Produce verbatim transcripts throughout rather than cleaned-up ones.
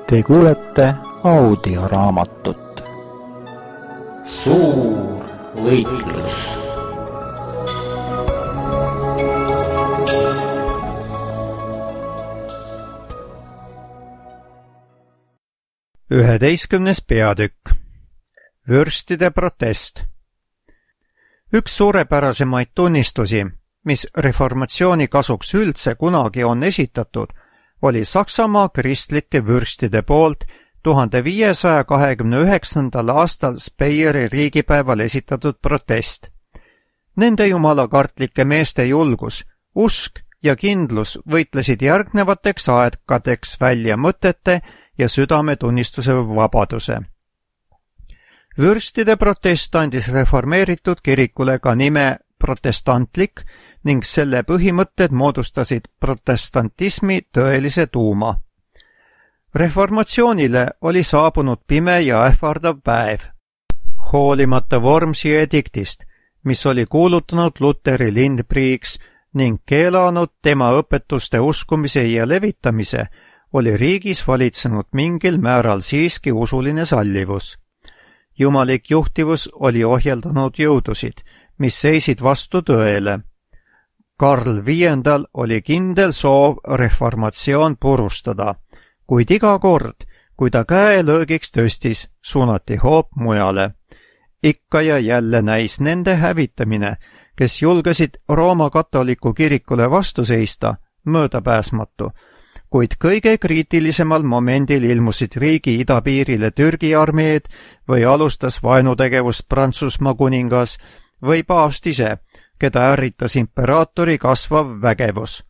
Te kuulete audioraamatut Suur võitlus. üheteistkümnes peatükk. Vürstide protest. Üks suurepärasemaid tunnistusi, mis reformatsiooni kasuks üldse kunagi on esitatud, oli Saksamaa kristlike vürstide poolt tuhande viiesaja kahekümne üheksandal aastal Speyeri riigipäeval esitatud protest. Nende jumalakartlike meeste julgus, usk ja kindlus võitlesid järgnevateks aegadeks välja mõtete ja südametunnistuse vabaduse. Vürstide protest andis reformeeritud kirikule ka nime protestantlik ning selle põhimõtted moodustasid protestantismi tõelise tuuma. Reformatsioonile oli saabunud pime ja ähvardav päev. Hoolimata Wormsi ediktist, mis oli kuulutanud Luteri lindpriiks ning keelanud tema õpetuste uskumise ja levitamise, oli riigis valitsenud mingil määral siiski usuline sallivus. Jumalik juhtivus oli ohjeldanud jõudusid, mis seisid vastu tõele. Karl viiendal oli kindel soov reformatsioon purustada, kuid iga kord, kui ta käelöögiks tõstis, suunati hoop mujale. Ikka ja jälle näis nende hävitamine, kes julgesid Rooma katoliku kirikule vastu seista, möödapääsmatu, kuid kõige kriitilisemal momendil ilmusid riigi idapiirile Türgi armeed või alustas vaenutegevust Prantsusmaa kuningas või paavst ise, keda ärritas imperaatori kasvav vägevus.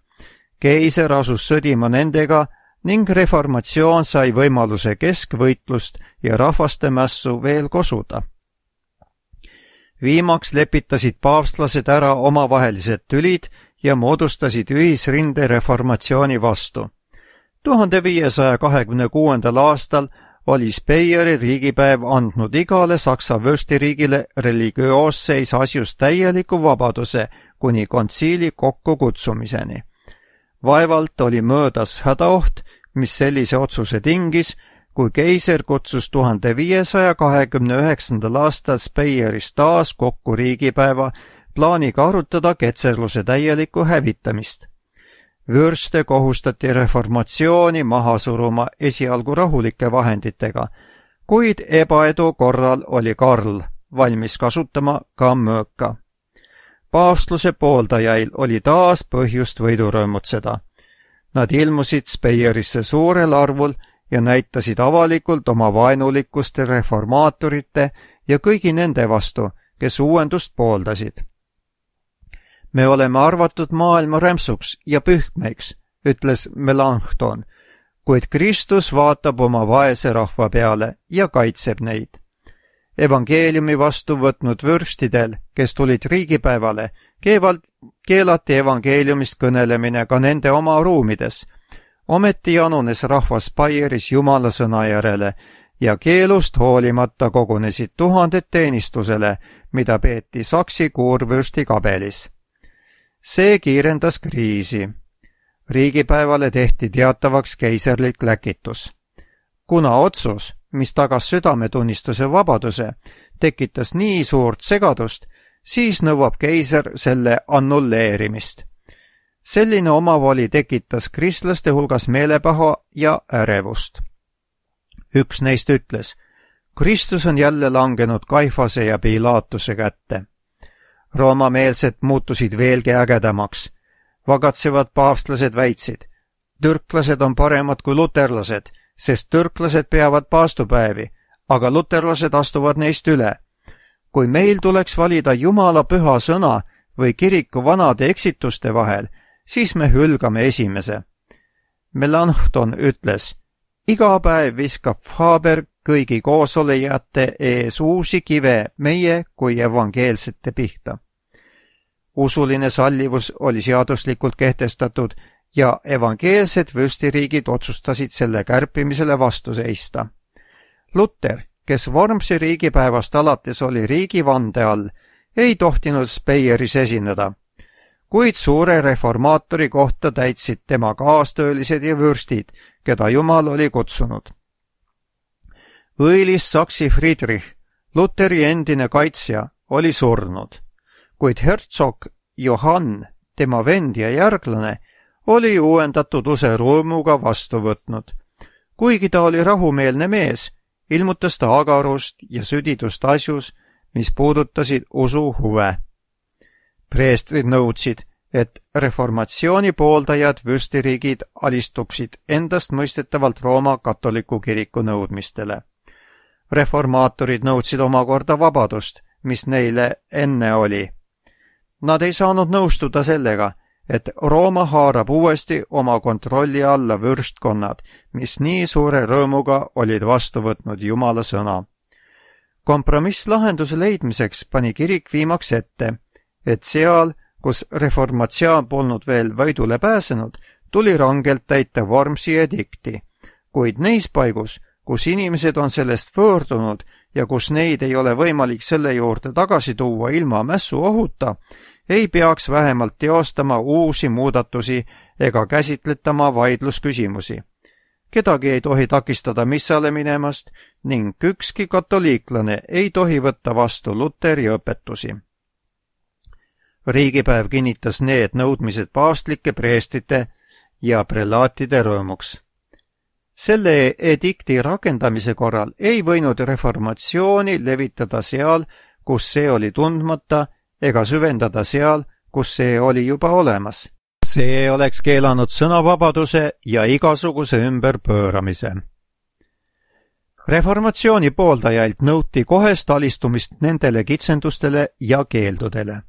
Keiser asus sõdima nendega ning reformatsioon sai võimaluse keskvõitlust ja rahvaste mässu veel kosuda. Viimaks lepitasid paavstlased ära omavahelised tülid ja moodustasid ühisrinde reformatsiooni vastu. tuhande viiesaja kahekümne kuuendal aastal oli Speyeri riigipäev andnud igale Saksa vürstiriigile religioosseis asjus täieliku vabaduse kuni kontsiili kokkukutsumiseni. Vaevalt oli möödas hädaoht, mis sellise otsuse tingis, kui keiser kutsus tuhande viiesaja kahekümne üheksandal aastal Speyeris taas kokku riigipäeva plaaniga arutada ketserluse täielikku hävitamist. Vürste kohustati reformatsiooni maha suruma esialgu rahulike vahenditega, kuid ebaedu korral oli Karl valmis kasutama ka mööka. Paavstluse pooldajail oli taas põhjust võidurõõmutseda. Nad ilmusid Speyerisse suurel arvul ja näitasid avalikult oma vaenulikkust reformaatorite ja kõigi nende vastu, kes uuendust pooldasid. Me oleme arvatud maailma rämpsuks ja pühkmeiks, ütles Melanchthon, kuid Kristus vaatab oma vaese rahva peale ja kaitseb neid. Evangeeliumi vastu võtnud vürstidel, kes tulid riigipäevale, keevalt keelati evangeeliumist kõnelemine ka nende oma ruumides. Ometi janunes rahvas Speyeris Jumala sõna järele ja keelust hoolimata kogunesid tuhanded teenistusele, mida peeti Saksi kuurvürsti kabelis. See kiirendas kriisi. Riigipäevale tehti teatavaks keiserlik läkitus. Kuna otsus, mis tagas südametunnistuse vabaduse, tekitas nii suurt segadust, siis nõuab keiser selle annulleerimist. Selline omavoli tekitas kristlaste hulgas meelepaha ja ärevust. Üks neist ütles, Kristus on jälle langenud Kaifase ja Pilaatuse kätte. Roomameelsed muutusid veelgi ägedamaks. Vagatsevad paavstlased väitsid, türklased on paremad kui luterlased, sest türklased peavad paastupäevi, aga luterlased astuvad neist üle. Kui meil tuleks valida Jumala püha sõna või kiriku vanade eksituste vahel, siis me hülgame esimese. Melanchthon ütles, iga päev viskab Faber kõigi koosolejate ees uusi kive meie kui evangeelsete pihta. Usuline sallivus oli seaduslikult kehtestatud ja evangeelsed vürstiriigid otsustasid selle kärpimisele vastu seista. Luter, kes Wormsi riigipäevast alates oli riigivande all, ei tohtinud Speyeris esineda. kuid suure reformaatori kohta täitsid tema kaastöölised ja vürstid, keda Jumal oli kutsunud. Õilis Saksi Friedrich, Luteri endine kaitsja, oli surnud, kuid hertsog Johann, tema vend ja järglane, oli uuendatud use rõõmuga vastu võtnud. Kuigi ta oli rahumeelne mees, ilmutas ta agarust ja südidust asjus, mis puudutasid usu huve. Preestrid nõudsid, et reformatsiooni pooldajad vürstiriigid alistuksid endastmõistetavalt Rooma katoliku kiriku nõudmistele. Reformaatorid nõudsid omakorda vabadust, mis neile enne oli. Nad ei saanud nõustuda sellega, et Rooma haarab uuesti oma kontrolli alla võrstkonnad, mis nii suure rõõmuga olid vastu võtnud Jumala sõna. Kompromisslahenduse leidmiseks pani kirik viimaks ette, et seal, kus reformatsioon polnud veel võidule pääsenud, tuli rangelt täita Wormsi edikti, kuid neis paigus, kus inimesed on sellest võõrdunud ja kus neid ei ole võimalik selle juurde tagasi tuua ilma mässu ohuta, ei peaks vähemalt teostama uusi muudatusi ega käsitletama vaidlusküsimusi. Kedagi ei tohi takistada missale minemast ning ükski katoliiklane ei tohi võtta vastu Luteri õpetusi. Riigipäev kinnitas need nõudmised paavstlike preestite ja prelaatide rõõmuks. Selle edikti rakendamise korral ei võinud reformatsiooni levitada seal, kus see oli tundmata, ega süvendada seal, kus see oli juba olemas. See oleks keelanud sõnavabaduse ja igasuguse ümberpööramise. Reformatsiooni pooldajailt nõuti kohest alistumist nendele kitsendustele ja keeldudele.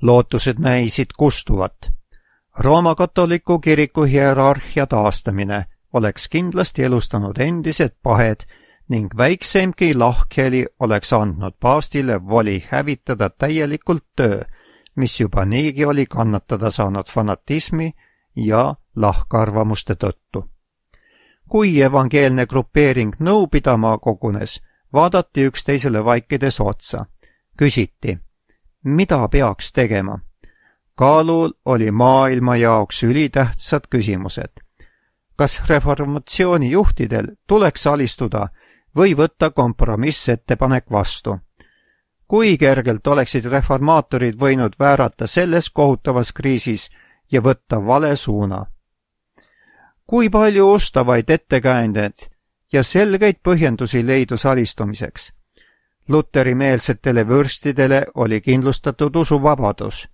Lootused näisid kustuvat. Rooma katoliku kiriku hierarhia taastamine oleks kindlasti elustanud endised pahed ning väikseimki lahkheli oleks andnud paavstile voli hävitada täielikult töö, mis juba niigi oli kannatada saanud fanatismi ja lahkarvamuste tõttu. Kui evangeelne grupeering nõu pidama kogunes, vaadati üksteisele vaikides otsa. Küsiti, mida peaks tegema? Kaalul oli maailma jaoks ülitähtsad küsimused. Kas reformatsiooni juhtidel tuleks alistuda või võtta kompromissettepanek vastu? Kui kergelt oleksid reformaatorid võinud väärata selles kohutavas kriisis ja võtta vale suuna? Kui palju ustavaid ettekäändeid ja selgeid põhjendusi leidus alistumiseks? Luteri-meelsetele vürstidele oli kindlustatud usuvabadus.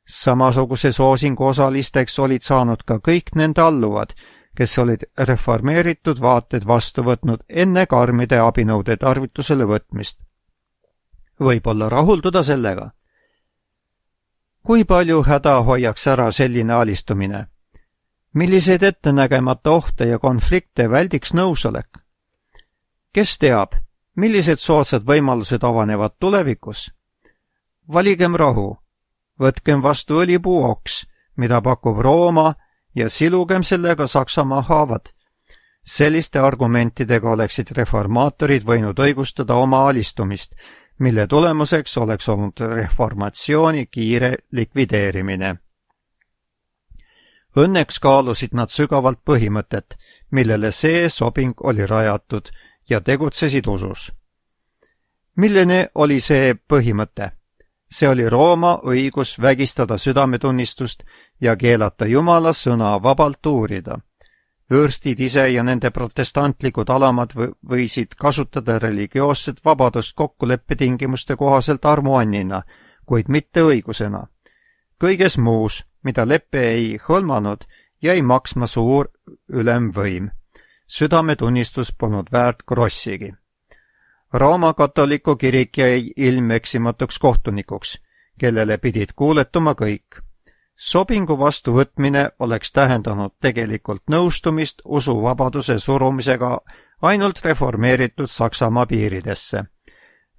Samasuguse soosingu osalisteks olid saanud ka kõik nende alluvad, kes olid reformeeritud vaated vastu võtnud enne karmide abinõude tarvitusele võtmist. Võib-olla rahulduda sellega? Kui palju häda hoiaks ära selline alistumine? Milliseid ettenägemata ohte ja konflikte väldiks nõusolek? Kes teab, millised soodsad võimalused avanevad tulevikus? Valigem rahu, võtkem vastu õlipuu oks, mida pakub Rooma, ja silugem sellega Saksamaa haavad. Selliste argumentidega oleksid reformaatorid võinud õigustada oma alistumist, mille tulemuseks oleks olnud reformatsiooni kiire likvideerimine. Õnneks kaalusid nad sügavalt põhimõtet, millele see sobing oli rajatud ja tegutsesid usus. Milline oli see põhimõte? See oli Rooma õigus vägistada südametunnistust ja keelata Jumala sõna vabalt uurida. Vürstid ise ja nende protestantlikud alamad võisid kasutada religioosset vabadust kokkuleppetingimuste kohaselt armuannina, kuid mitte õigusena. Kõiges muus, mida leppe ei hõlmanud, jäi maksma suur ülemvõim. Südametunnistus polnud väärt krossigi. Rooma katoliku kirik jäi ilmeksimatuks kohtunikuks, kellele pidid kuuletuma kõik. Sobingu vastuvõtmine oleks tähendanud tegelikult nõustumist usuvabaduse surumisega ainult reformeeritud Saksamaa piiridesse.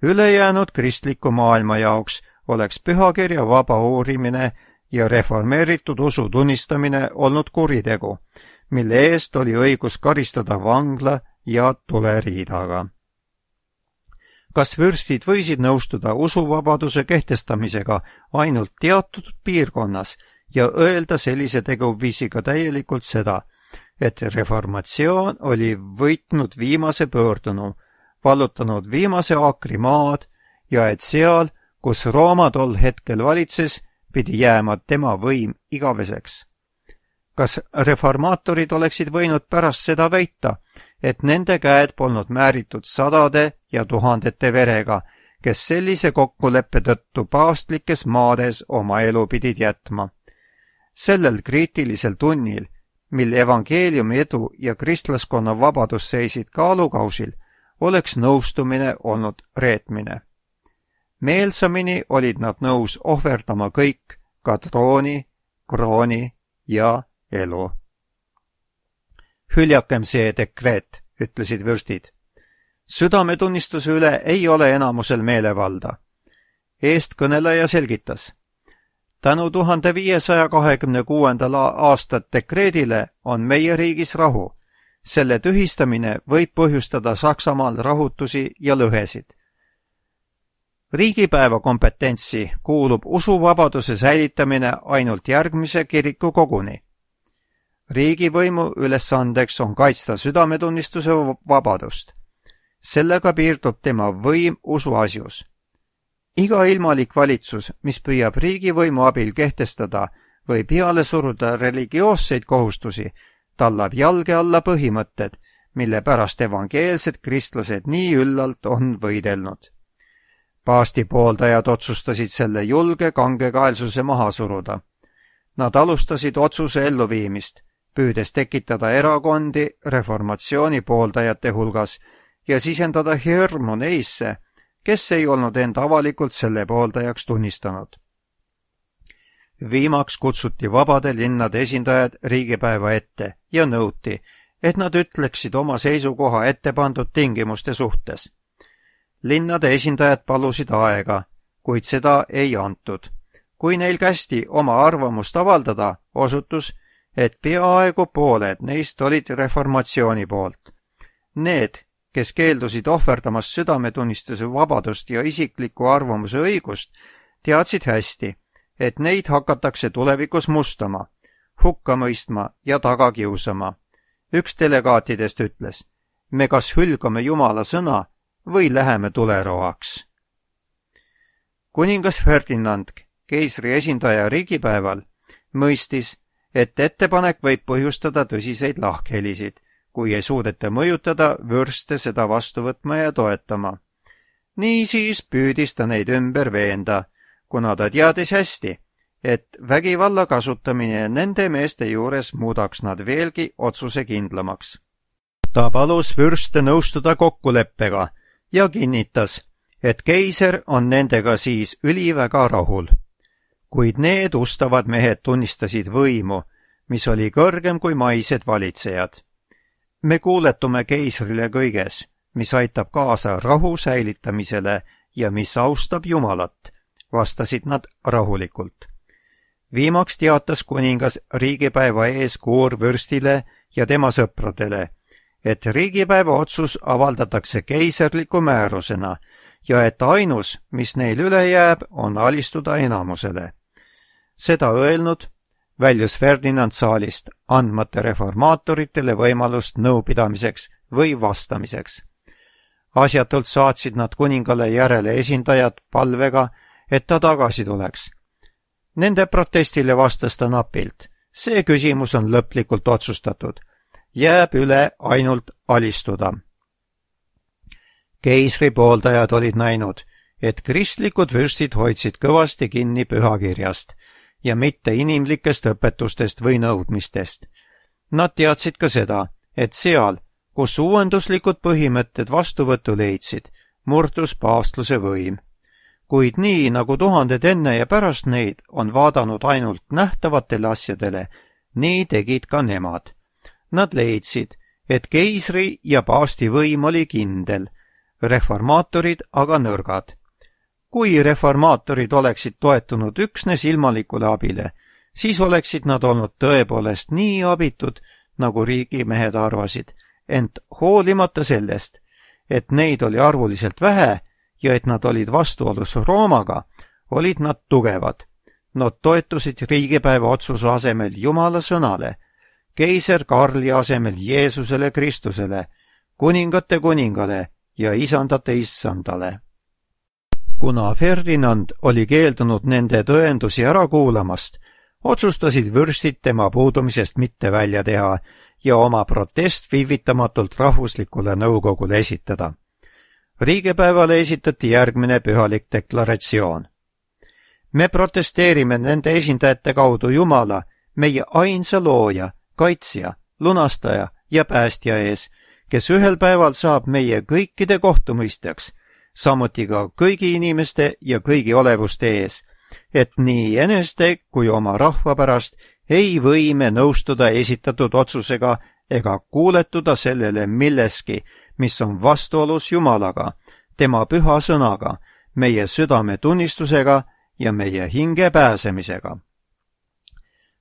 Ülejäänud kristliku maailma jaoks oleks pühakirja vaba uurimine ja reformeeritud usu tunnistamine olnud kuritegu, mille eest oli õigus karistada vangla ja tuleriidaga. kas vürstid võisid nõustuda usuvabaduse kehtestamisega ainult teatud piirkonnas ja öelda sellise teguviisiga täielikult seda, et reformatsioon oli võitnud viimase pöördunu, vallutanud viimase aakri maad ja et seal, kus Rooma tol hetkel valitses, pidi jääma tema võim igaveseks. Kas reformaatorid oleksid võinud pärast seda väita, et nende käed polnud määritud sadade ja tuhandete verega, kes sellise kokkuleppe tõttu paavstlikes maades oma elu pidid jätma? Sellel kriitilisel tunnil, mil evangeeliumi edu ja kristlaskonna vabadus seisid kaalukausil, oleks nõustumine olnud reetmine. Meelsamini olid nad nõus ohverdama kõik, ka trooni, krooni ja elu. Hüljakem see dekreet, ütlesid vürstid. Südametunnistuse üle ei ole enamusel meelevalda. Eestkõneleja selgitas. Tänu tuhande viiesaja kahekümne kuuendal aastat dekreedile on meie riigis rahu. Selle tühistamine võib põhjustada Saksamaal rahutusi ja lõhesid. Riigipäeva kompetentsi kuulub usuvabaduse säilitamine ainult järgmise kiriku koguni. Riigivõimu ülesandeks on kaitsta südametunnistuse vabadust. Sellega piirdub tema võim usuasjus. Iga ilmalik valitsus, mis püüab riigivõimu abil kehtestada või peale suruda religioosseid kohustusi, tallab jalge alla põhimõtted, mille pärast evangeelsed kristlased nii üllalt on võidelnud. Paasti pooldajad otsustasid selle julge kangekaelsuse maha suruda. Nad alustasid otsuse elluviimist, püüdes tekitada erakondi reformatsiooni pooldajate hulgas ja sisendada hirmu neisse, kes ei olnud end avalikult selle pooldajaks tunnistanud. Viimaks kutsuti vabade linnade esindajad riigipäeva ette ja nõuti, et nad ütleksid oma seisukoha ette pandud tingimuste suhtes. Linnade esindajad palusid aega, kuid seda ei antud. Kui neil kästi oma arvamust avaldada, osutus, et peaaegu pooled neist olid reformatsiooni poolt. Need, kes keeldusid ohverdamast südametunnistuse vabadust ja isikliku arvamuse õigust, teadsid hästi, et neid hakatakse tulevikus mustama, hukka mõistma ja taga kiusama. Üks delegaatidest ütles, me kas hülgame Jumala sõna või läheme tuleroaks. Kuningas Ferdinand, keisri esindaja riigipäeval, mõistis, et ettepanek võib põhjustada tõsiseid lahkhelisid, kui ei suudeta mõjutada vürste seda vastu võtma ja toetama. Niisiis püüdis ta neid ümber veenda, kuna ta teadis hästi, et vägivalla kasutamine nende meeste juures muudaks nad veelgi otsusekindlamaks. Ta palus vürste nõustuda kokkuleppega ja kinnitas, et keiser on nendega siis üliväga rahul. Kuid need ustavad mehed tunnistasid võimu, mis oli kõrgem kui maised valitsejad. Me kuuletume keisrile kõiges, mis aitab kaasa rahu säilitamisele ja mis austab Jumalat, vastasid nad rahulikult. Viimaks teatas kuningas riigipäeva ees kuurvürstile ja tema sõpradele, et riigipäeva otsus avaldatakse keiserliku määrusena ja et ainus, mis neil üle jääb, on alistuda enamusele. Seda öelnud, väljus Ferdinand saalist, andmata reformaatoritele võimalust nõupidamiseks või vastamiseks. Asjatult saatsid nad kuningale järele esindajad palvega, et ta tagasi tuleks. Nende protestile vastas ta napilt. See küsimus on lõplikult otsustatud. Jääb üle ainult alistuda. Keisri pooldajad olid näinud, et kristlikud vürstid hoidsid kõvasti kinni pühakirjast ja mitte inimlikest õpetustest või nõudmistest. Nad teadsid ka seda, et seal, kus uuenduslikud põhimõtted vastuvõttu leidsid, murdus paavstluse võim. Kuid nii, nagu tuhanded enne ja pärast neid on vaadanud ainult nähtavatele asjadele, nii tegid ka nemad. Nad leidsid, et keisri ja paavsti võim oli kindel, reformaatorid aga nõrgad. Kui reformaatorid oleksid toetunud üksnes ilmalikule abile, siis oleksid nad olnud tõepoolest nii abitud, nagu riigimehed arvasid, ent hoolimata sellest, et neid oli arvuliselt vähe ja et nad olid vastuolus Roomaga, olid nad tugevad. Nad toetusid riigipäeva otsuse asemel Jumala sõnale, keiser Karli asemel Jeesusele Kristusele, kuningate kuningale ja isandate issandale. Kuna Ferdinand oli keeldunud nende tõendusi ära kuulamast, otsustasid vürstid tema puudumisest mitte välja teha ja oma protest viivitamatult rahvuslikule nõukogule esitada. Riigipäevale esitati järgmine pühalik deklaratsioon. Me protesteerime nende esindajate kaudu Jumala, meie ainsa looja, kaitsja, lunastaja ja päästja ees, kes ühel päeval saab meie kõikide kohtumõistjaks, samuti ka kõigi inimeste ja kõigi olevuste ees, et nii eneste kui oma rahva pärast ei või me nõustuda esitatud otsusega ega kuuletuda sellele milleski, mis on vastuolus Jumalaga, tema püha sõnaga, meie südametunnistusega ja meie hinge pääsemisega.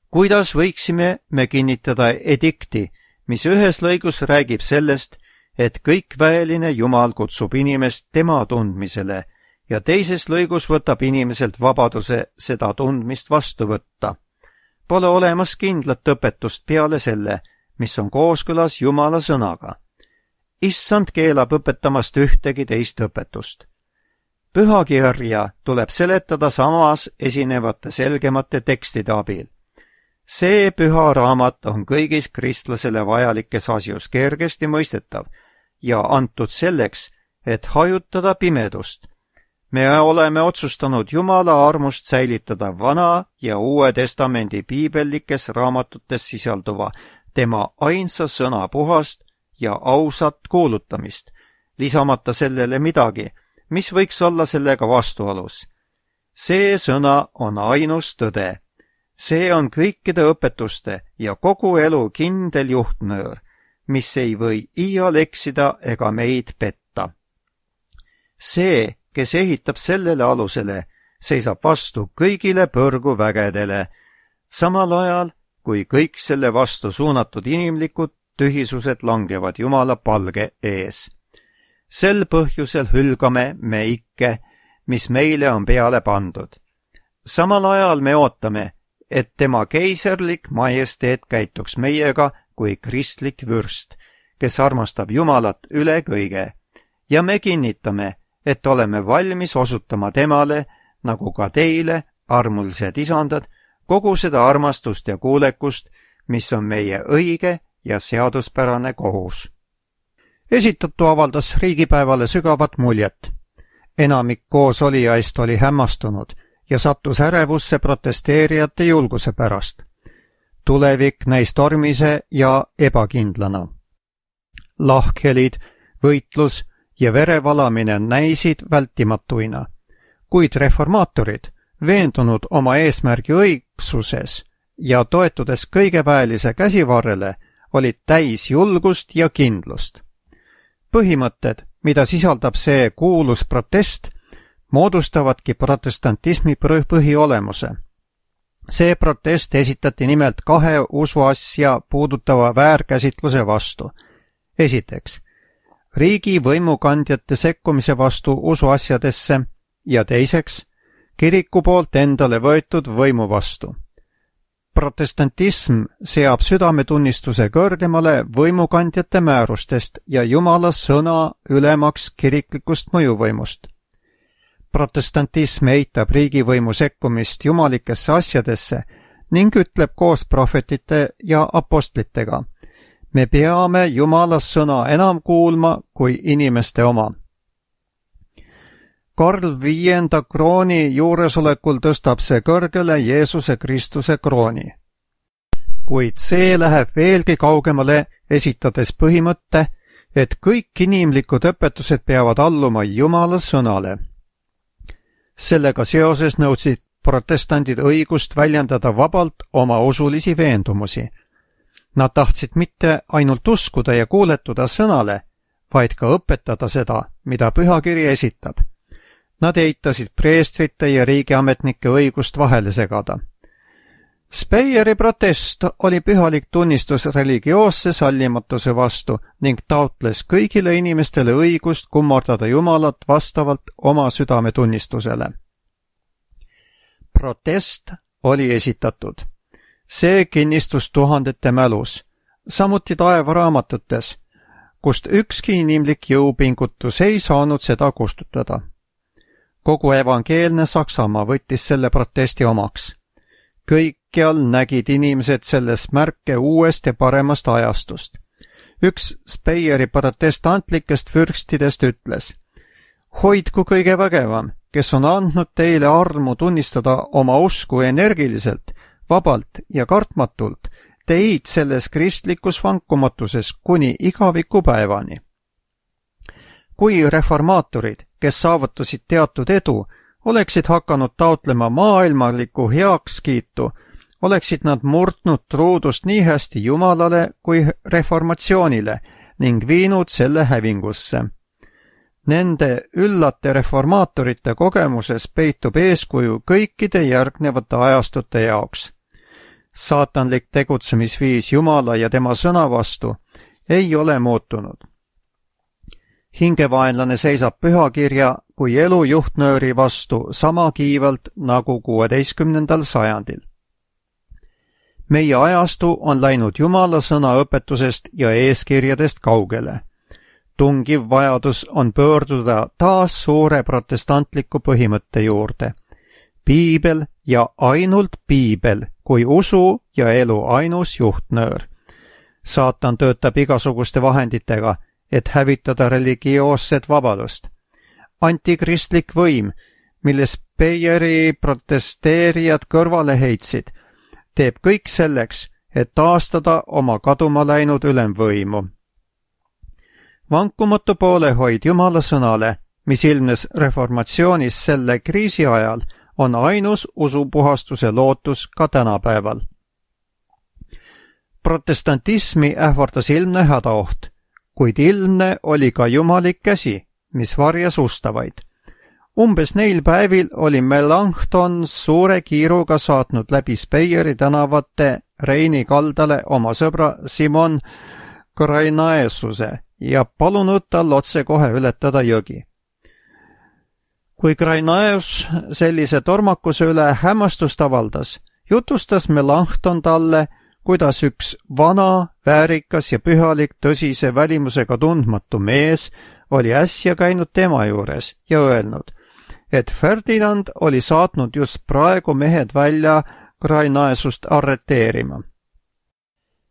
Kuidas võiksime me kinnitada edikti, mis ühes lõigus räägib sellest, et kõikväeline Jumal kutsub inimest tema tundmisele ja teises lõigus võtab inimeselt vabaduse seda tundmist vastu võtta. Pole olemas kindlat õpetust peale selle, mis on kooskõlas Jumala sõnaga. Issand keelab õpetamast ühtegi teist õpetust. Pühakirja tuleb seletada samas esinevate selgemate tekstide abil. See püha raamat on kõigis kristlasele vajalikes asjus kergesti mõistetav ja antud selleks, et hajutada pimedust. Me oleme otsustanud Jumala armust säilitada Vana ja Uue Testamendi piibellikes raamatutes sisalduva tema ainsa sõna puhast ja ausat kuulutamist, lisamata sellele midagi, mis võiks olla sellega vastuolus. See sõna on ainus tõde. See on kõikide õpetuste ja kogu elu kindel juhtnöör, mis ei või iial eksida ega meid petta. See, kes ehitab sellele alusele, seisab vastu kõigile põrguvägedele, samal ajal, kui kõik selle vastu suunatud inimlikud tühisused langevad Jumala palge ees. Sel põhjusel hülgame me ikke, mis meile on peale pandud. Samal ajal me ootame, et tema keiserlik majesteet käituks meiega kui kristlik vürst, kes armastab Jumalat üle kõige, ja me kinnitame, et oleme valmis osutama temale, nagu ka teile, armulised isandad, kogu seda armastust ja kuulekust, mis on meie õige ja seaduspärane kohus. Esitatu avaldas riigipäevale sügavat muljet. Enamik koosolijaist oli hämmastunud ja sattus ärevusse protesteerijate julguse pärast. Tulevik näis tormise ja ebakindlana. Lahkhelid, võitlus ja verevalamine näisid vältimatuina, kuid reformaatorid, veendunud oma eesmärgi õigsuses ja toetudes kõigeväelise käsivarrele, olid täis julgust ja kindlust. Põhimõtted, mida sisaldab see kuulus protest, moodustavadki protestantismi põhiolemuse. See protest esitati nimelt kahe usuasja puudutava väärkäsitluse vastu. Esiteks, riigi võimukandjate sekkumise vastu usuasjadesse ja teiseks, kiriku poolt endale võetud võimu vastu. Protestantism seab südametunnistuse kõrgemale võimukandjate määrustest ja Jumala sõna ülemaks kiriklikust mõjuvõimust. Protestantism eitab riigivõimu sekkumist jumalikesse asjadesse ning ütleb koos prohvetite ja apostlitega: me peame Jumala sõna enam kuulma kui inimeste oma. Karl viienda krooni juuresolekul tõstab see kõrgele Jeesuse Kristuse krooni. Kuid see läheb veelgi kaugemale, esitades põhimõtte, et kõik inimlikud õpetused peavad alluma Jumala sõnale. Sellega seoses nõudsid protestandid õigust väljendada vabalt oma usulisi veendumusi. Nad tahtsid mitte ainult uskuda ja kuuletuda sõnale, vaid ka õpetada seda, mida pühakiri esitab. Nad eitasid preestrite ja riigiametnike õigust vahele segada. Speyeri protest oli pühalik tunnistus religioosse sallimatuse vastu ning taotles kõigile inimestele õigust kummardada Jumalat vastavalt oma südametunnistusele. Protest oli esitatud. See kinnistus tuhandete mälus, samuti taevaraamatutes, kust ükski inimlik jõupingutus ei saanud seda kustutada. Kogu evangeelne Saksamaa võttis selle protesti omaks. Kõikjal nägid inimesed selles märke uuest ja paremast ajastust. Üks Speyeri protestantlikest fürstidest ütles: hoidku kõige vägevam, kes on andnud teile armu tunnistada oma usku energiliselt, vabalt ja kartmatult, teid selles kristlikus vankumatuses kuni igavikupäevani. Kui reformaatorid, kes saavutasid teatud edu, oleksid hakanud taotlema maailmalikku heakskiitu, oleksid nad murdnud truudust nii hästi Jumalale kui reformatsioonile ning viinud selle hävingusse. Nende üllate reformaatorite kogemuses peitub eeskuju kõikide järgnevate ajastute jaoks. Saatanlik tegutsemisviis Jumala ja tema sõna vastu ei ole muutunud. Hingevaenlane seisab pühakirja kui elu juhtnööri vastu sama kiivalt nagu kuueteistkümnendal sajandil. Meie ajastu on läinud Jumala sõna õpetusest ja eeskirjadest kaugele. Tungiv vajadus on pöörduda taas suure protestantliku põhimõtte juurde. Piibel ja ainult Piibel kui usu ja elu ainus juhtnöör. Saatan töötab igasuguste vahenditega, et hävitada religioosset vabadust. Antikristlik võim, mille Speyeri protesteerijad kõrvale heitsid, teeb kõik selleks, et taastada oma kaduma läinud ülemvõimu. Vankumatu poolehoid Jumala sõnale, mis ilmnes reformatsioonis selle kriisi ajal, on ainus usupuhastuse lootus ka tänapäeval. Protestantismi ähvardas ilmne hädaoht, kuid ilmne oli ka jumalik käsi, mis varjas ustavaid. Umbes neil päevil oli Melanchthon suure kiiruga saatnud läbi Speyeri tänavate Reini kaldale oma sõbra Simon Grainaeususe ja palunud tal otsekohe ületada jõgi. Kui Grainaeus sellise tormakuse üle hämmastust avaldas, jutustas Melanchthon talle, kuidas üks vana, väärikas ja pühalik tõsise välimusega tundmatu mees oli äsja käinud tema juures ja öelnud, et Ferdinand oli saatnud just praegu mehed välja Grainaeusust arreteerima.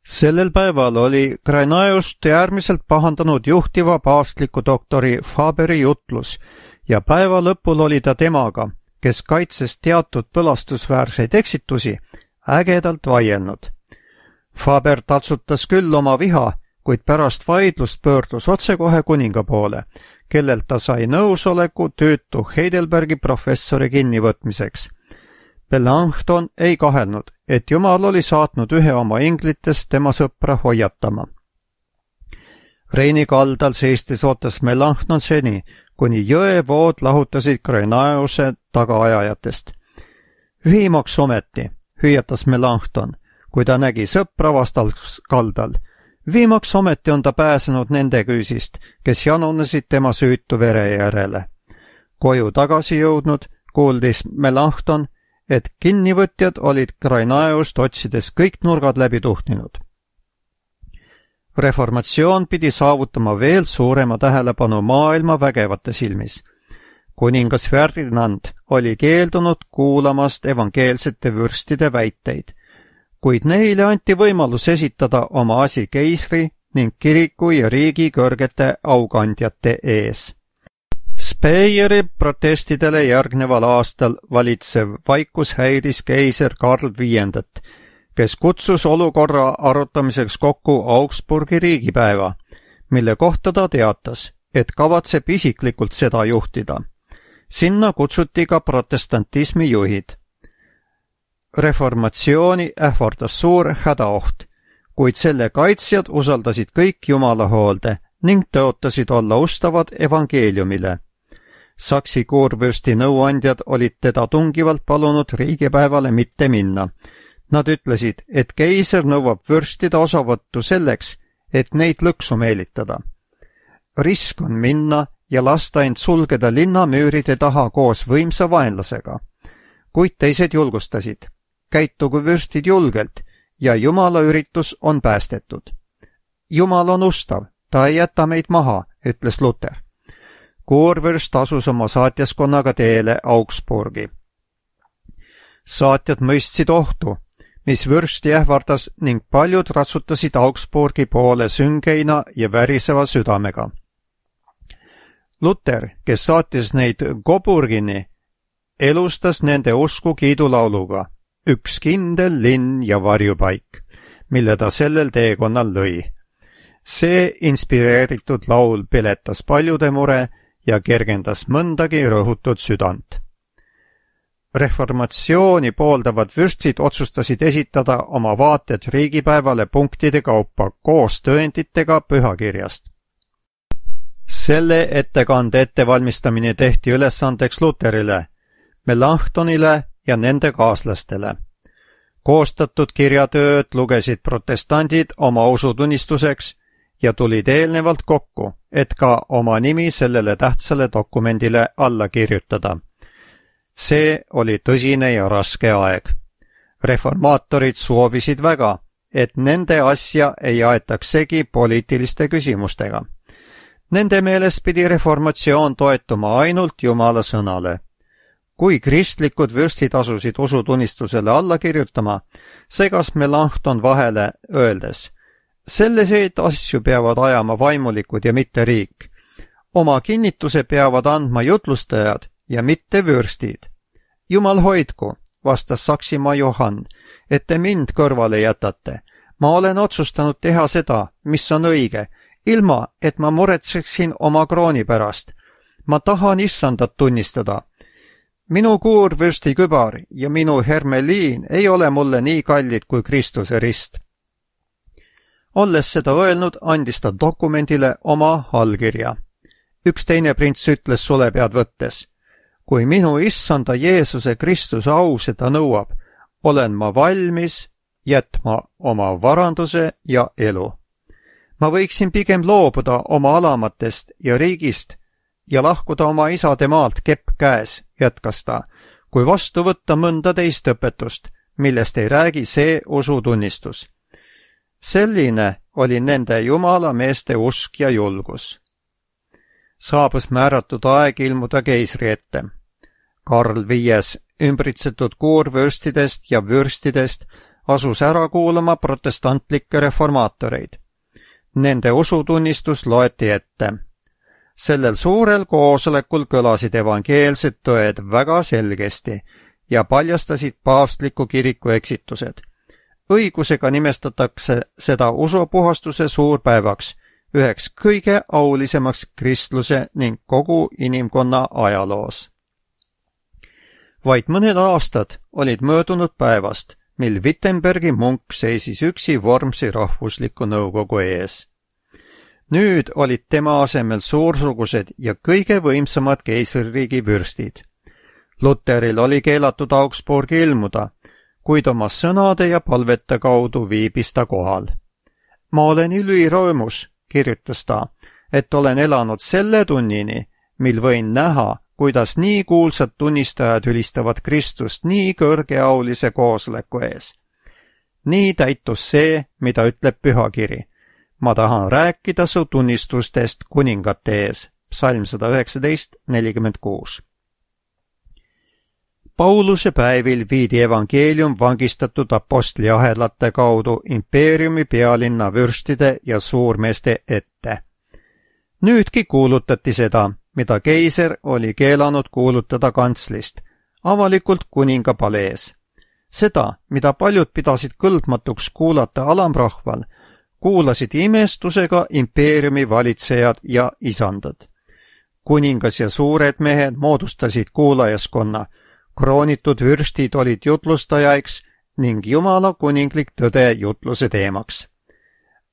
Sellel päeval oli Grainaeust äärmiselt pahandanud juhtiva paavstliku doktori Faberi jutlus ja päeva lõpul oli ta temaga, kes kaitses teatud põlastusväärseid eksitusi, ägedalt vaielnud. Faber tatsutas küll oma viha, kuid pärast vaidlust pöördus otsekohe kuninga poole, kellelt ta sai nõusoleku tüütu Heidelbergi professori kinnivõtmiseks. Melanchthon ei kahelnud, et Jumal oli saatnud ühe oma inglitest tema sõpra hoiatama. Reini kaldal seistes ootas Melanchthon seni, kuni jõevood lahutasid Grainaeuse tagaajajatest. Viimaks ometi, hüüatas Melanchthon, kui ta nägi sõpra vastal kaldal. Viimaks ometi on ta pääsenud nende küüsist, kes janunesid tema süütu vere järele. Koju tagasi jõudnud, kuuldis Melanchthon, et kinnivõtjad olid Grainaeust otsides kõik nurgad läbi tuhtinud. Reformatsioon pidi saavutama veel suurema tähelepanu maailma vägevate silmis. Kuningas Ferdinand oli keeldunud kuulamast evangeelsete vürstide väiteid, kuid neile anti võimalus esitada oma asi keisri ning kiriku ja riigi kõrgete aukandjate ees. Speyeri protestidele järgneval aastal valitsev vaikus häiris keiser Karl viiendat, kes kutsus olukorra arutamiseks kokku Augsburgi riigipäeva, mille kohta ta teatas, et kavatseb isiklikult seda juhtida. Sinna kutsuti ka protestantismi juhid. Reformatsiooni ähvardas suur hädaoht, kuid selle kaitsjad usaldasid kõik Jumala hoolde ning tõotasid olla ustavad evangeeliumile. Saksi kuurvürsti nõuandjad olid teda tungivalt palunud riigipäevale mitte minna Nad ütlesid, et keiser nõuab vürstide osavõttu selleks, et neid lõksu meelitada. Risk on minna ja lasta end sulgeda linnamüüride taha koos võimsa vaenlasega. Kuid teised julgustasid. Käitugu vürstid julgelt ja Jumala üritus on päästetud. Jumal on ustav, ta ei jäta meid maha, ütles Luter. Kurvürst asus oma saatjaskonnaga teele Augsburgi. Saatjad mõistsid ohtu, mis vürsti ähvardas ning paljud ratsutasid Augsburgi poole süngeina ja väriseva südamega. Luter, kes saatis neid Coburgini, elustas nende usku kiidulauluga Üks kindel linn ja varjupaik, mille ta sellel teekonnal lõi. See inspireeritud laul peletas paljude mure ja kergendas mõndagi rõhutud südant. Reformatsiooni pooldavad vürstid otsustasid esitada oma vaated riigipäevale punktide kaupa koos tõenditega pühakirjast. Selle ettekande ettevalmistamine tehti ülesandeks Luterile, Melanchthonile ja nende kaaslastele. Koostatud kirjatööd lugesid protestandid oma usutunnistuseks ja tulid eelnevalt kokku, et ka oma nimi sellele tähtsale dokumendile alla kirjutada. See oli tõsine ja raske aeg. Reformaatorid soovisid väga, et nende asja ei aetaks segi poliitiliste küsimustega. Nende meelest pidi reformatsioon toetuma ainult Jumala sõnale. Kui kristlikud vürstid asusid usutunnistusele alla kirjutama, segas Melanchthon vahele öeldes, selliseid asju peavad ajama vaimulikud ja mitte riik. Oma kinnituse peavad andma jutlustajad ja mitte vürstid. Jumal hoidku, vastas Saksimaa Johann, et te mind kõrvale jätate. Ma olen otsustanud teha seda, mis on õige, ilma et ma muretseksin oma krooni pärast. Ma tahan issandat tunnistada. Minu kuurvürsti kübar ja minu hermeliin ei ole mulle nii kallid kui Kristuse rist. Olles seda öelnud, andis ta dokumendile oma allkirja. Üks teine prints ütles sulepead võttes, kui minu issanda Jeesuse Kristuse au seda nõuab, olen ma valmis jätma oma varanduse ja elu. Ma võiksin pigem loobuda oma alamatest ja riigist ja lahkuda oma isade maalt kepp käes, jätkas ta, kui vastu võtta mõnda teist õpetust, millest ei räägi see usutunnistus. Selline oli nende Jumala meeste usk ja julgus. Saabus määratud aeg ilmuda keisri ette. Karl Viies, ümbritsetud kuurvürstidest ja vürstidest, asus ära kuulama protestantlikke reformaatoreid. Nende usutunnistus loeti ette. Sellel suurel koosolekul kõlasid evangeelsed tõed väga selgesti ja paljastasid paavstliku kiriku eksitused. Õigusega nimestatakse seda usupuhastuse suurpäevaks, üheks kõige aulisemaks kristluse ning kogu inimkonna ajaloos. Vaid mõned aastad olid möödunud päevast, mil Wittenbergi munk seisis üksi Wormsi rahvusliku nõukogu ees. Nüüd olid tema asemel suursugused ja kõige võimsamad keisririigi vürstid. Luteril oli keelatud Augsburgi ilmuda, kuid oma sõnade ja palvete kaudu viibis ta kohal. Ma olen ülirõõmus, kirjutas ta, et olen elanud selle tunnini, mil võin näha, kuidas nii kuulsad tunnistajad ülistavad Kristust nii kõrgeaulise koosoleku ees. Nii täitus see, mida ütleb pühakiri. Ma tahan rääkida su tunnistustest kuningate ees. Psalm sada üheksateist nelikümmend kuus. Pauluse päevil viidi evangeelium vangistatud apostli ahelate kaudu impeeriumi pealinna vürstide ja suurmeeste ette. Nüüdki kuulutati seda, mida keiser oli keelanud kuulutada kantslist, avalikult kuninga palees. Seda, mida paljud pidasid kõlbmatuks kuulata alamrahval, kuulasid imestusega impeeriumi valitsejad ja isandad. Kuningas ja suured mehed moodustasid kuulajaskonna, kroonitud vürstid olid jutlustajaiks ning Jumala kuninglik tõde jutluse teemaks.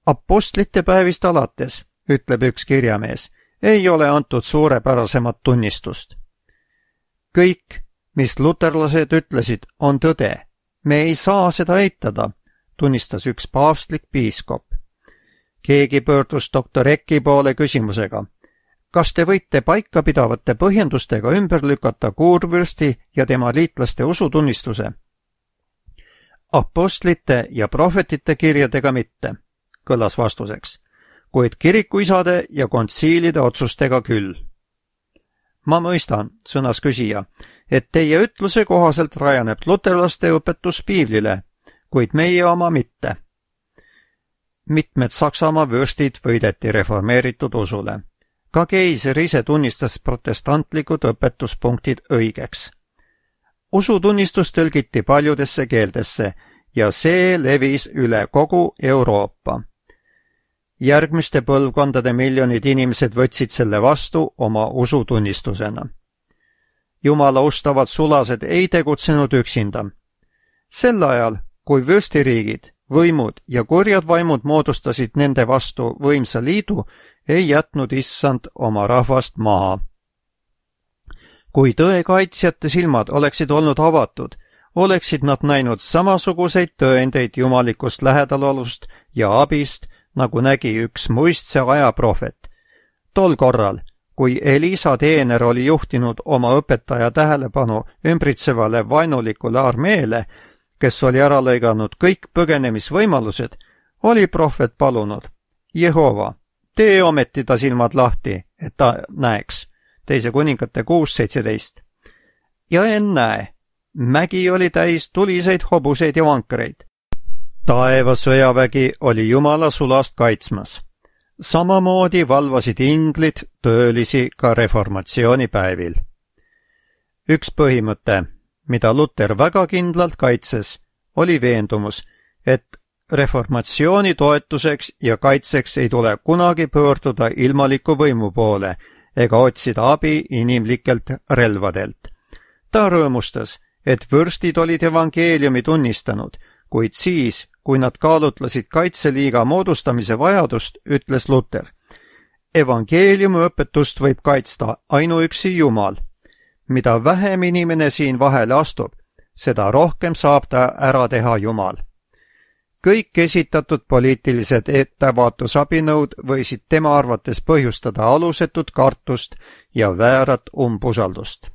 Apostlite päevist alates, ütleb üks kirjamees, ei ole antud suurepärasemat tunnistust. Kõik, mis luterlased ütlesid, on tõde me ei saa seda eitada, tunnistas üks paavstlik piiskop. Keegi pöördus doktor Ecki poole küsimusega. Kas te võite paikapidavate põhjendustega ümber lükata kuurvürsti ja tema liitlaste usutunnistuse? Apostlite ja prohvetite kirjadega mitte, kõlas vastuseks, kuid kirikuisade ja kontsiilide otsustega küll. Ma mõistan, sõnas küsija, et teie ütluse kohaselt rajaneb luterlaste õpetus piiblile, kuid meie oma mitte. Mitmed Saksamaa vürstid võideti reformeeritud usule. Ka keiser ise tunnistas protestantlikud õpetuspunktid õigeks. Usutunnistus tõlgiti paljudesse keeltesse ja see levis üle kogu Euroopa. Järgmiste põlvkondade miljonid inimesed võtsid selle vastu oma usutunnistusena. Jumala ustavad sulased ei tegutsenud üksinda. Sel ajal, kui vürstiriigid, võimud ja kurjad vaimud moodustasid nende vastu võimsa liidu, ei jätnud issand oma rahvast maha. Kui tõe kaitsjate silmad oleksid olnud avatud, oleksid nad näinud samasuguseid tõendeid jumalikust lähedalolust ja abist, nagu nägi üks muistse aja prohvet. Tol korral, kui Elisa teener oli juhtinud oma õpetaja tähelepanu ümbritsevale vaenulikule armeele, kes oli ära lõiganud kõik põgenemisvõimalused, oli prohvet palunud, Jehova, tee ometi ta silmad lahti, et ta näeks. Teise kuningate kuus seitseteist. Ja ennäe, mägi oli täis tuliseid hobuseid ja vankareid. Taeva sõjavägi oli Jumala sulast kaitsmas. Samamoodi valvasid inglid töölisi ka reformatsioonipäevil. Üks põhimõte, mida Luter väga kindlalt kaitses, oli veendumus, et reformatsiooni toetuseks ja kaitseks ei tule kunagi pöörduda ilmaliku võimu poole ega otsida abi inimlikelt relvadelt. Ta rõõmustas, et vürstid olid evangeeliumi tunnistanud, kuid siis, kui nad kaalutlesid kaitseliiga moodustamise vajadust, ütles Luter. Evangeeliumi õpetust võib kaitsta ainuüksi Jumal. Mida vähem inimene siin vahele astub, seda rohkem saab ta ära teha Jumal. Kõik esitatud poliitilised ettevaatusabinõud võisid tema arvates põhjustada alusetut kartust ja väärat umbusaldust.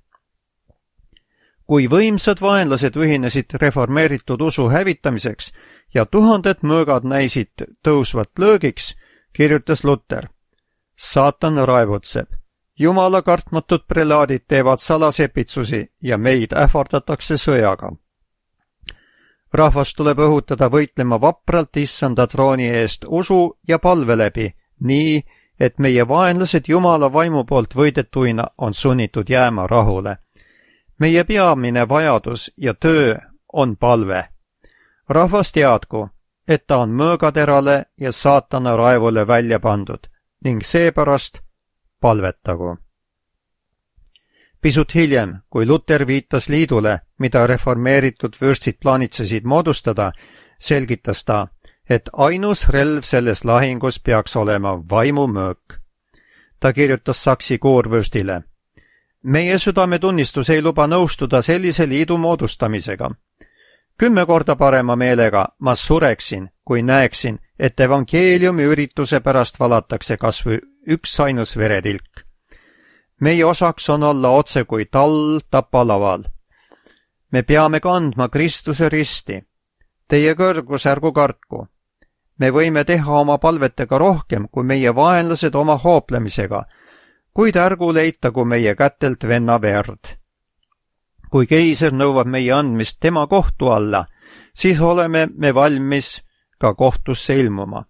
Kui võimsad vaenlased ühinesid reformeeritud usu hävitamiseks ja tuhanded mõõgad näisid tõusvat löögiks, kirjutas Luter. Saatan raevutseb. Jumala kartmatud prelaadid teevad salasepitsusi ja meid ähvardatakse sõjaga. Rahvas tuleb õhutada võitlema vapralt issanda trooni eest usu ja palve läbi, nii, et meie vaenlased Jumala vaimu poolt võidetuina on sunnitud jääma rahule. Meie peamine vajadus ja töö on palve. Rahvas teadku, et ta on mõõgaterale ja saatana raevule välja pandud ning seepärast palvetagu. Pisut hiljem, kui Luter viitas liidule, mida reformeeritud vürstid plaanitsesid moodustada, selgitas ta, et ainus relv selles lahingus peaks olema vaimumöök. Ta kirjutas Saksi koorvürstile. Meie südametunnistus ei luba nõustuda sellise liidu moodustamisega. Kümme korda parema meelega ma sureksin, kui näeksin, et evangeeliumi ürituse pärast valatakse kas või üks ainus veretilk. Meie osaks on olla otse kui tall tapalaval. Me peame kandma Kristuse risti. Teie kõrgus ärgu kartku. Me võime teha oma palvetega rohkem kui meie vaenlased oma hooplemisega, kuid ärgu leitagu meie kätelt venna verd. Kui keiser nõuab meie andmist tema kohtu alla, siis oleme me valmis ka kohtusse ilmuma.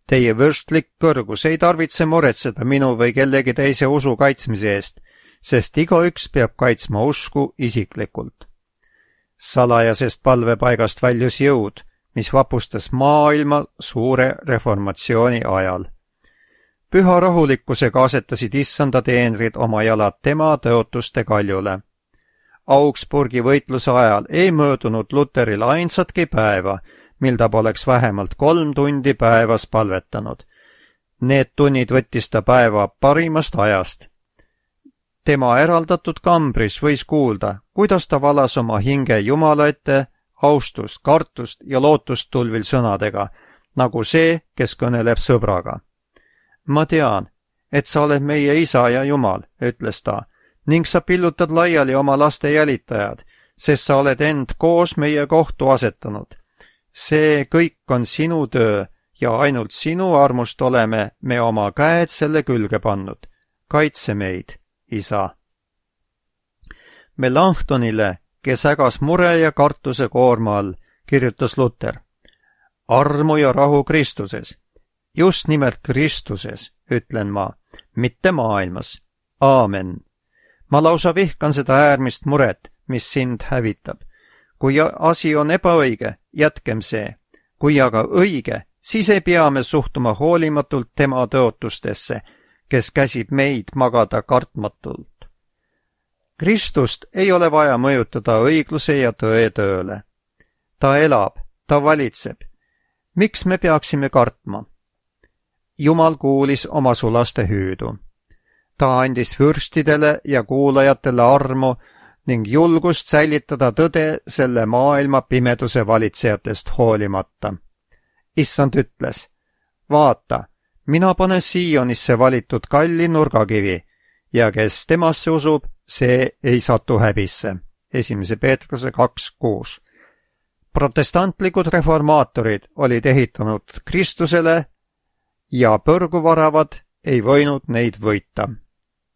Teie vürstlik kõrgus ei tarvitse muretseda minu või kellegi teise usu kaitsmise eest, sest igaüks peab kaitsma usku isiklikult. Salajasest palvepaigast väljus jõud, mis vapustas maailma suure reformatsiooni ajal. Püha rahulikkusega asetasid issanda teenrid oma jalad tema tõotuste kaljule. Augsburgi võitluse ajal ei möödunud Luteril ainsatki päeva, mil ta poleks vähemalt kolm tundi päevas palvetanud. Need tunnid võttis ta päeva parimast ajast. Tema eraldatud kambris võis kuulda, kuidas ta valas oma hinge Jumala ette austust, kartust ja lootust tulvil sõnadega, nagu see, kes kõneleb sõbraga. Ma tean, et sa oled meie isa ja Jumal, ütles ta, ning sa pillutad laiali oma laste jälitajad, sest sa oled end koos meie kohtu asetanud. See kõik on sinu töö ja ainult sinu armust oleme me oma käed selle külge pannud. Kaitse meid, isa. Melanchthonile, kes ägas mure ja kartuse koorma all, kirjutas Luter. Armu ja rahu Kristuses. Just nimelt Kristuses, ütlen ma, mitte maailmas. Aamen. Ma lausa vihkan seda äärmist muret, mis sind hävitab. Kui asi on ebaõige, jätkem see. Kui aga õige, siis ei pea me suhtuma hoolimatult tema tõotustesse, kes käsib meid magada kartmatult. Kristust ei ole vaja mõjutada õigluse ja tõe tööle. Ta elab, ta valitseb. Miks me peaksime kartma? Jumal kuulis oma sulaste hüüdu. Ta andis vürstidele ja kuulajatele armu ning julgust säilitada tõde selle maailma pimeduse valitsejatest hoolimata. Issand ütles, vaata, mina panen Siionisse valitud kalli nurgakivi ja kes temasse usub, see ei satu häbisse. Esimese Peetruse kaks kuus. Protestantlikud reformaatorid olid ehitanud Kristusele ja põrguvaravad ei võinud neid võita.